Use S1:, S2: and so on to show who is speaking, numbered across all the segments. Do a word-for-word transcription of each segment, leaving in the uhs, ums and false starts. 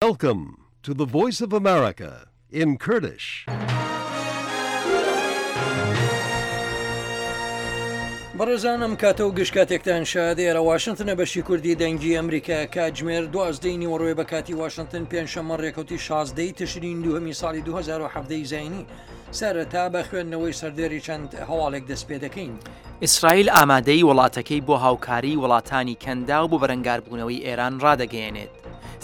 S1: Welcome to the Voice of America in Kurdish.
S2: بەڕێزان ئەم کاتە و گشت کاتێکتان شاد. ئێرە واشنتنە، بەشی کوردی دەنگی ئەمریکا. کاتژمێر دوازدەی نیوەڕۆی بە کاتی واشنتن، پێنجشەممە ڕێکەوتی شازدەی تشرین دووهەمی ساڵی دوو هەزار و حەڤدە زایینی. سەرەتا بە خوێندنەوەی سەردێری چەند هەواڵێک دەست پێ دەکەین.
S3: ئیسرائیل ئامادەی وڵاتەکەی بۆ هاوکاری وڵاتانی کەنداو بۆ بەرەنگاربوونەوەی ئێران ڕادەگەیەنێت.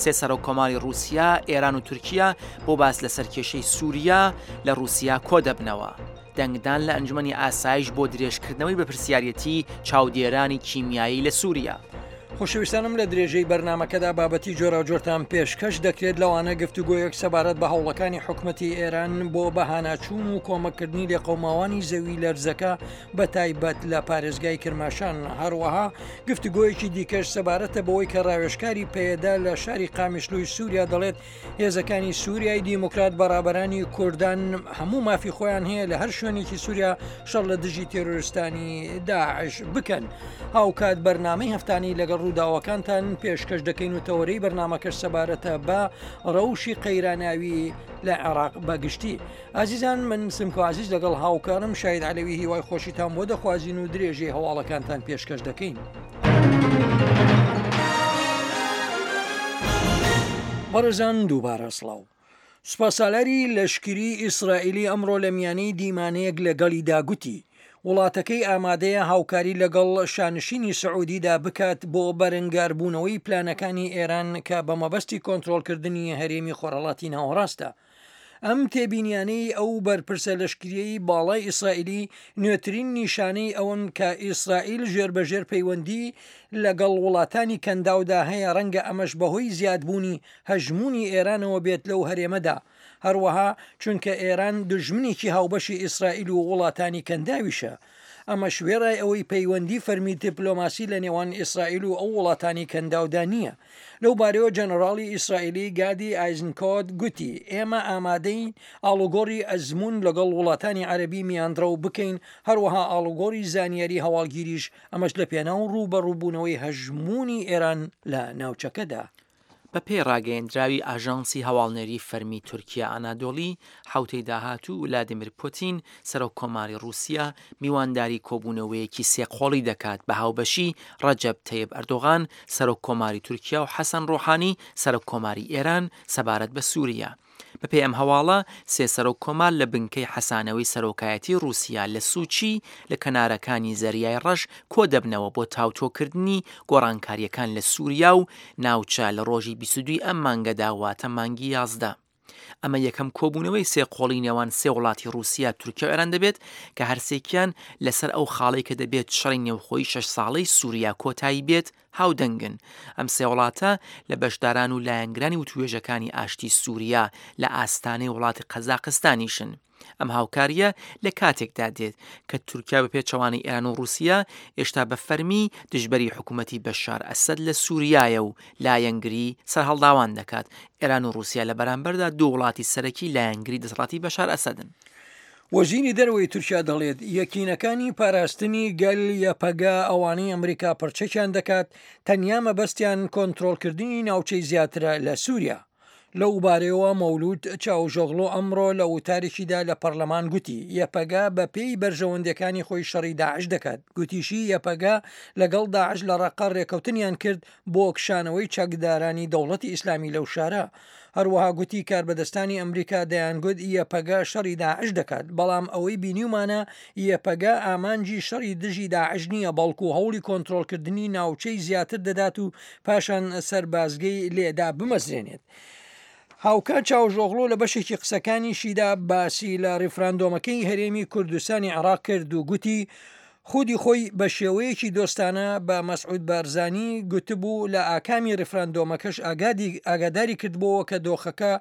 S3: سێ سەرۆک کۆماری رووسیا، ئێران و تورکیا بۆ باس لەسەر کێشەی سووریا لە رووسیا کۆ دەبنەوە. دەنگدان لە ئەنجومەنی ئاسایش بۆ درێژکردنەوەی بەرپرسیارەتی چاودێرانی کیمیایی لە سووریا.
S2: خۆشەویستانم، لە درێژەی بەرنامەکەدا بابەتی جۆراوجۆرتان پێشکەش دەکرێت، لەوانە گفتوگۆیەک سەبارەت بە هەوڵەکانی حکومەتی ئێران بۆ بەهاناچوون و کۆمەکردنی لێقەوماوانی زەوی لەرزەکە بە تایبەت لە پارێزگای کرماشان. هەروەها گفتوگۆیەکی دیکەش سەبارەتە بەوەی کە ڕاوێژکاری پەیەدە لە شاری قامیشلوی سووریا دەڵێت هێزەکانی سووریای دیموکرات بە ڕابەرانی کوردان هەموو مافی خۆیان هەیە لە هەر شوێنێکی سووریا شەڕ لە دژی تێرۆرستانی داعش بکەن. هاوکات بەرنامەی هەفتانی لەگەڵ ڕووداوەکانتان پێشکەش دەکەین و تەوەرەی بەرنامەکەش سەبارەتە بە ڕەوشی قەیراناوی لە عێراق بەگشتی. ئازیزان، من سمکۆ عزیز لەگەڵ هاوکارم شاید عەلەوی هیوای خۆشیتان بۆ دەخوازین و درێژەی هەواڵەکانتان پێشکەش دەکەین. بەڕێزان، دووبارە سڵاو. سوپاسالاری لەشکری ئیسرائیلی ئەمڕۆ لە میانەی دیمانەیەک لەگەڵیدا گوتی وڵاتەکەی ئامادەیە هاوکاری لەگەڵ شانشینی سعودیدا بکات بۆ بەرەنگاربوونەوەی پلانەکانی ئێران کە بە مەبەستی کۆنترۆڵکردنی هەرێمی خۆرهەڵاتی ناوەڕاستە. ئەم تێبینیانەی ئەو بەرپرسە لەشکریەی باڵای ئیسرائیلی نوێترین نیشانەی ئەوەن کە ئیسرائیل ژێر بەژێر پەیوەندی لەگەڵ وڵاتانی کەنداودا هەیە، ڕەنگە ئەمەش بەهۆی زیادبوونی هەژمونی ئێرانەوە بێت لەو هەرێمەدا، هەروەها چونکە ئێران دژمنێکی هاوبەشی ئیسرائیل و وڵاتانی کەنداویشە. ئەمەش وێڕای ئەوەی پەیوەندی فەرمی دیپلۆماسی لە نێوان ئیسرائیل و ئەو وڵاتانی کەنداودا نییە. لەو بارەیەوە جەنەراڵی ئیسرائیلی گادی ئایزنکۆت گوتی ئێمە ئامادەین ئاڵوگۆڕی ئەزمون لەگەڵ وڵاتانی عەربی میانڕەو بکەین، هەروەها ئاڵوگۆڕی زانیاری هەواڵگیریش، ئەمەش لە پێناو ڕووبەڕووبوونەوەی هەژمونی ئێران لە ناوچەکەدا.
S3: بە پێی ڕاگەیەندراوی ئاژانسی هەواڵنێری فەرمی تورکیا ئانادۆلی، حوتەی داهاتوو ولادیمیر پوتین سەرۆک کۆماری رووسیا میوانداری کۆبوونەوەیەکی سێقۆڵی دەکات بە هاوبەشی ڕەجەب تەیب ئەردۆغان سەرۆک کۆماری تورکیا و حەسەن ڕۆحانی سەرۆک کۆماری ئێران سەبارەت بە سووریا. بەپێی ئەم هەواڵە، سێ سەرۆک کۆمار لە بنکەی حەسانەوەی سەرۆکایەتی رووسیا لە سوچی لە کەنارەکانی زەریای ڕەش کۆ دەبنەوە بۆ تاوتوێکردنی گۆڕانکاریەکان لە سووریا و ناوچە لە ڕۆژی بیست و دوو ئەم مانگەدا، واتە مانگی یازدە. ئەمە یەکەم کۆبوونەوەی سێ قۆڵی نێوان سێ وڵاتی رووسیا، تورکیا و ئێران دەبێت کە هەرسێکیان لەسەر ئەو خاڵەی کە دەبێت شەڕی نێوخۆی شەش ساڵەی سووریا کۆتایی بێت هاودەنگن. ئەم سێ وڵاتە لە بەشداران و لایەنگرانی وتوێژەکانی ئاشتی سووریا لە ئاستانەی وڵاتی قەزاقستانیشن. ئەم هاوکاریە لە کاتێکدا دێت کە تورکیا بە پێچەوانەی ئێران و رووسیا ئێشتا بە فەرمی دژبەری حکوومەتی بەشار ئەسەد لە سووریایە و لایەنگری سەرهەڵداوان دەکات. ئێران و رووسیا لە بەرامبەردا دوو وڵاتی سەرەکی لایەنگری دەسەڵاتی بەشار ئەسەدن.
S2: وەزیری دەرەوەی تورکیا دەڵێت یەکینەکانی پاراستنی گەل یەپەگە، ئەوانەی ئەمریکا پڕچەکیان دەکات، تەنیا مەبەستیان کۆنترۆڵکردنی ناوچەی زیاترە لە سووریا. لەو بارەیەوە مەولود چاوشئۆغلۆ ئەمڕۆ لە وتارێکیدا لە پەرلەمان گوتی یەپەگە بە پێی بەرژەوەندەکانی خۆی شەڕی داعش دەکات. گوتیشی یەپەگە لەگەڵ داعش لە ڕەقە ڕێکەوتنیان کرد بۆ کشانەوەی چەکدارانی دەوڵەتی ئیسلامی لەو شارە. هەروەها گوتی کاربەدەستانی ئەمریکا دەیانگوت یەپەگە شەڕی داعش دەکات، بەڵام ئەوەی بینیومانە یەپەگە ئامانجی شەڕی دژی داعش نییە، بەڵکو هەوڵی کۆنترۆڵکردنی ناوچەی زیاتر دەدات و پاشان سەربازگەی لێدا بمەزرێنێت. هاوکات چاوشئۆغلۆ لە بەشێکی قسەکانیشیدا باسی لە ڕیفراندۆمەکەی هەرێمی کوردستانی عێراق کرد و گوتی خودی خۆی بە شێوەیەکی دۆستانە بە مەسعود بارزانی گوتبوو، لە ئاکامی ڕیفراندۆمەکەش ئاگاداری کردبووەوە کە دۆخەکە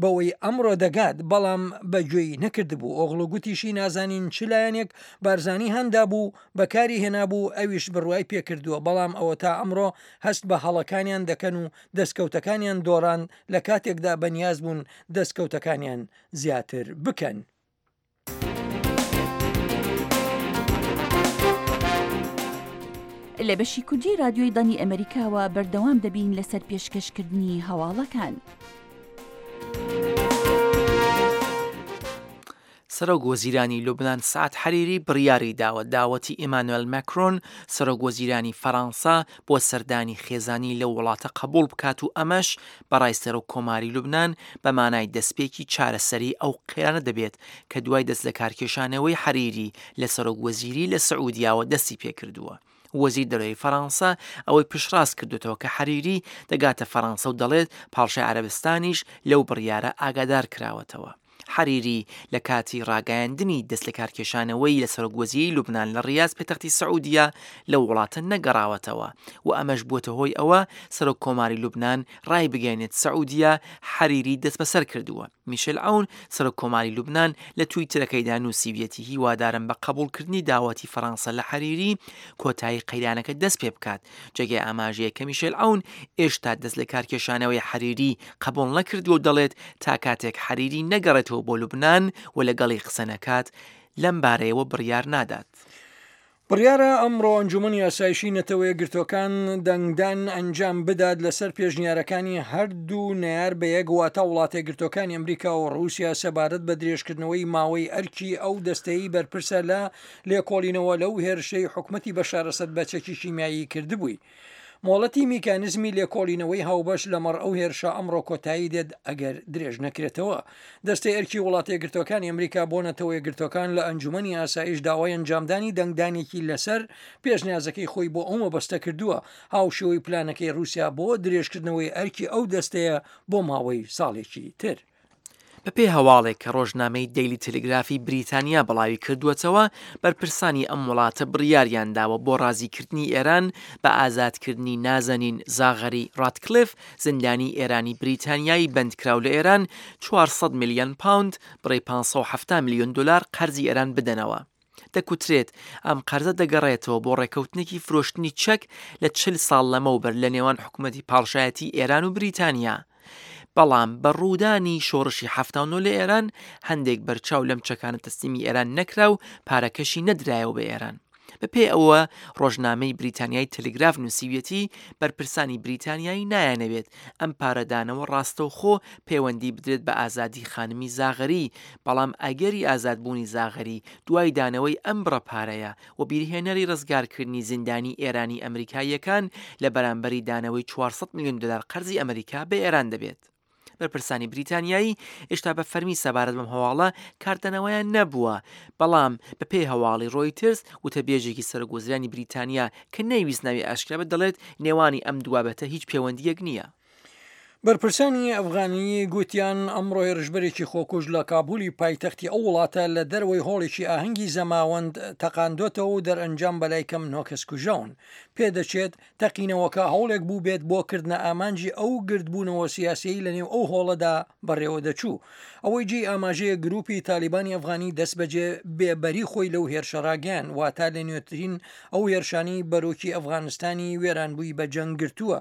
S2: بەوەی ئەمڕۆ دەگات، بەڵام بەگوێی نەکردبوو. ئۆغلۆ گوتیشی نازانین چ لایەنێک بارزانی هاندا بوو بەکاری هێنابوو، ئەویش بڕوای پێکردووە، بەڵام ئەوە تا ئەمڕۆ هەست بە هەڵەکانیان دەکەن و دەستکەوتەکانیان دۆڕان لە کاتێکدا بەنیاز بوون دەستکەوتەکانیان زیاتر بکەن.
S4: لە بەشی کوردی رادیۆی دەنگی ئەمریکاوە بەردەوام دەبین لەسەر پێشکەشکردنی هەواڵەکان.
S3: سەرۆک وەزیرانی لوبنان سەعد حەریری بڕیاری داوە داوەتی ئیمانوێل ماکرۆن سەرۆک وەزیرانی فەرانسە بۆ سەردانی خێزانی لەو وڵاتە قبوڵ بکات و ئەمەش بەڕای سەرۆک کۆماری لوبنان بە مانای دەستپێکی چارەسەری ئەو قەیرانە دەبێت کە دوای دەست لەکارکێشانەوەی حەریری لە سەرۆک وەزیری لە سعودیاوە دەستی پێکردووە. وەزیر دەرەوەی فەرانسە ئەوەی پشتڕاست کردوێتەوە کە حەریری دەگاتە فەرانسە و دەڵێت پاڵشای عەرەبستانیش لەو بڕیارە ئاگادار کراوەتەوە. حەریری لە کاتی ڕاگەیاندنی دەست لەکارکێشانەوەی لە سەرۆک وەزیری لوبنان لە ڕیاز پێتەختی سعودیە لەو وڵاتە نەگەڕاوەتەوە و ئەمەش بووەتە هۆی ئەوە سەرۆک کۆماری لوبنان ڕای بگەێنێت سعودیە حەریری دەستبەسەر کردووە. میشل عەون سەرۆک کۆماری لوبنان لە تویتەرەکەیدا نووسیویەتی هیوادارم بە قبوڵکردنی داوەتی فەرەنسا لە حەریری کۆتایی قەیرانەکە دەست پێ بکات. جێگەی ئاماژەیە کە میشل عەون ئێشتا دەست لە کارکێشانەوەی حەریری قبوڵ نەکردووە و دەڵێت تا کاتێک حەریری نەگەڕێتەوە بۆ لوبنان و لەگەڵی قسە نەکات لەم بارەیەوە بڕیار نادات.
S2: بڕیارە ئەمڕۆ ئەنجومەنی ئاسایشی نەتەوە یەکگرتووەکان دەنگدان ئەنجام بدات لەسەر پێشنیارەکانی هەردوو نەیار بە یەک واتە وڵاتە یەکگرتووەکانی ئەمریکا و ڕووسیا سەبارەت بە درێژکردنەوەی ماوەی ئەرکی ئەو دەستەی بەرپرسە لە لێکۆڵینەوە لەو هێرشەی حکومەتی بەشار ئەسەد بە چەکی شیمیایی کردبووی. مۆڵەتی میکانزمی لێکۆڵینەوەی هاوبەش لەمەڕ ئەو هێرشە ئەمڕۆ کۆتایی دێت ئەگەر درێژ نەکرێتەوە. دەستەی ئەرکی وڵاتە یەکگرتووەکانی ئەمریکا بۆ نەتەوە یەکگرتووەکان لە ئەنجومەنی ئاسایش داوای ئەنجامدانی دەنگدانێکی لەسەر پێشنیازەکەی خۆی بۆ ئەو مەبەستە کردووە، هاوشێوەی پلانەکەی رووسیا بۆ درێژکردنەوەی ئەرکی ئەو دەستەیە بۆ ماوەی ساڵێکی تر.
S3: بەپێی هەواڵێک کە ڕۆژنامەی دەیلی تەلگرافی بریتانیا بڵاوی کردووەتەوە، بەرپرسانی ئەم وڵاتە بڕیاریان داوە بۆ ڕازیکردنی ئێران بە ئازادکردنی نازەنین زاغەری ڕاتکلیف زیندانی ئێرانی بریتانیایی بەندکراو لە ئێران چوار سەد ملیۆن پاوند بڕی پێنج سەد و حەفتا ملیۆن دلار قەرزی ئێران بدەنەوە. دەکوترێت ئەم قەرزە دەگەڕێتەوە بۆ ڕێکەوتنێکی فرۆشتنی چەک لە چل ساڵ لەمەوبەر لە نێوان حکوومەتی پاڵشایەتی ئێران و بریتانیا. بەڵام بە ڕوودانی شۆڕشی حەفتا و نۆ لە ئێران هەندێک بەرچاو لەم چەکانە تەسلیمی ئێران نەکرا و پارەکەشی نەدرایەوە بە ئێران. بەپێی ئەوە ڕۆژنامەی بریتانیای تەلگراف نووسیویەتی بەرپرسانی بریتانیایی نایانەوێت ئەم پارەدانەوە ڕاستەوخۆ پەیوەندی بدرێت بە ئازادی خانمی زاغەری، بەڵام ئەگەری ئازادبوونی زاغەری دوای دانەوەی ئەم بڕە پارەیە و بیرهێنەری ڕزگارکردنی زیندانی ئێرانی ئەمریکاییەکان لە بەرامبەری دانەوەی چوار سەد ملیۆن دلار قەرزی ئەمریکا بە ئێران دەبێت. بەرپرسانی بریتانیایی ئێشتا بە فەرمی سەبارەت بەم هەواڵە کاردانەوەیان نەبووە، بەڵام بەپێی هەواڵی ڕۆیترز وتەبێژێکی سەرۆک وەزیرانی بریتانیا کە نەیویست ناوی ئاشکرا بێت دەڵێت نێوانی ئەم دوو بابەتە هیچ پەیوەندییەک نییە.
S2: بەرپرسانی ئەفغانی گوتیان ئەمڕۆ هێرشبەرێکی خۆکوژ لە کابولی پایتەختی ئەو وڵاتە لە دەرەوەی هۆڵێکی ئاهەنگی زەماوەند تەقاندۆتەوە و دەرئەنجام بەلای کەم نۆ کەس کوژاون. پێدەچێت تەقینەوەکە هەوڵێک بوو بێت بۆ کردنە ئامانجی ئەو گردبوونەوە سیاسیی لەنێو ئەو هۆڵەدا بەڕێوە دەچوو. ئەوەی جێی ئاماژەیە گروپی تالیبانی ئەفغانی دەستبەجێ بێبەری خۆی لەو هێرشە ڕاگەیان، واتە لە نوێترین ئەو هێرشانی بەرۆکی ئەفغانستانی وێرانبووی بە جەنگ گرتووە.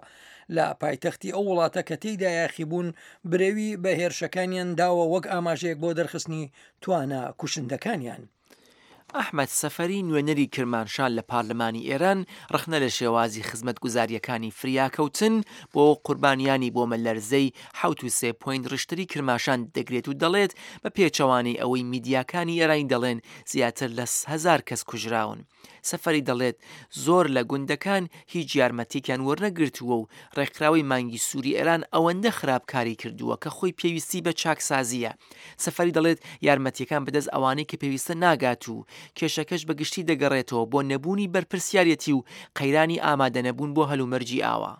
S2: لە پایتەختی ئەو وڵاتە کە تێیدا یاخیبوون برەوی بە هێرشەکانیان داوە وەک ئاماژەیەک بۆ دەرخستنی توانا کوشندەکانیان.
S3: ئەحمەد سەفەری نوێنەری کرمانشان لە پارلمانی ئێران ڕەخنە لە شێوازی خزمەتگوزاریەکانی فریاکەوتن بۆ قوربانیانی بۆمەلەرزەی حەوت و سێ پوینت ڕیشتری کرماشان دەگرێت و دەڵێت بە پێچەوانەی ئەوەی میدیاکانی ئێرانی دەڵێن زیاتر لە هەزار کەس کوژراون. سەفەری دەڵێت زۆر لە گوندەکان هیچ یارمەتێکیان وەرنەگرتووە و ڕێکخراوەی مانگی سووری ئێران ئەوەندە خراپکاری کردووە کە خۆی پێویستی بە چاکسازیە. سەفەری دەڵێت یارمەتیەکان بەدەست ئەوانەی کە پێویستە ناگات و کێشەکەش بەگشتی دەگەڕێتەوە بۆ نەبوونی بەرپرسیارەتی و قەیرانی ئامادەنەبوون بۆ هەلومەرجی ئاوا.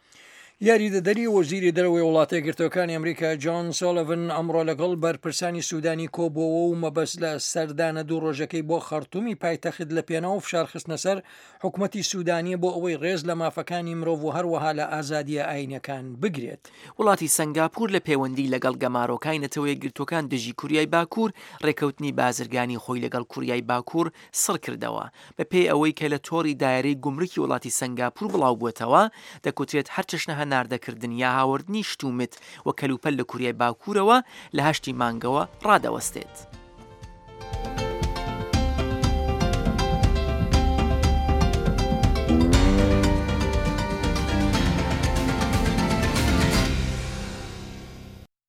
S2: یاریدەدەری وەزیری دەرەوەی وڵاتە یەکگرتووەکانی ئەمریکا جۆن سۆلڤن ئەمڕۆ لەگەڵ بەرپرسانی سوودانی کۆبووەوە و مەبەست لە سەردانە دوو ڕۆژەکەی بۆ خەرتومی پایتەخت لە پێناو فشارخستنە سەر حکوومەتی سوودانیە بۆ ئەوەی ڕێز لە مافەکانی مرۆڤ و هەروەها لە ئازادیە ئاینەکان بگرێت.
S3: وڵاتی سنگاپور لە پەیوەندی لەگەڵ گەمارۆکانی نەتەوە یەکگرتووەکان دژی کوریای باکوور ڕێکەوتنی بازرگانی خۆی لەگەڵ کوریای باکوور سڕ کردەوە. بەپێی ئەوەی کە لە تۆڕی دایرەی گومرکی وڵاتی سنگاپور بڵاو بووەتەوە، دەکوترێت هەرچەشنە هەناردەکردن یا هاوردنی شتومت و کەلوپەل لە کوریای باکوورەوە لە هەشتی مانگەوە ڕادەوەستێت.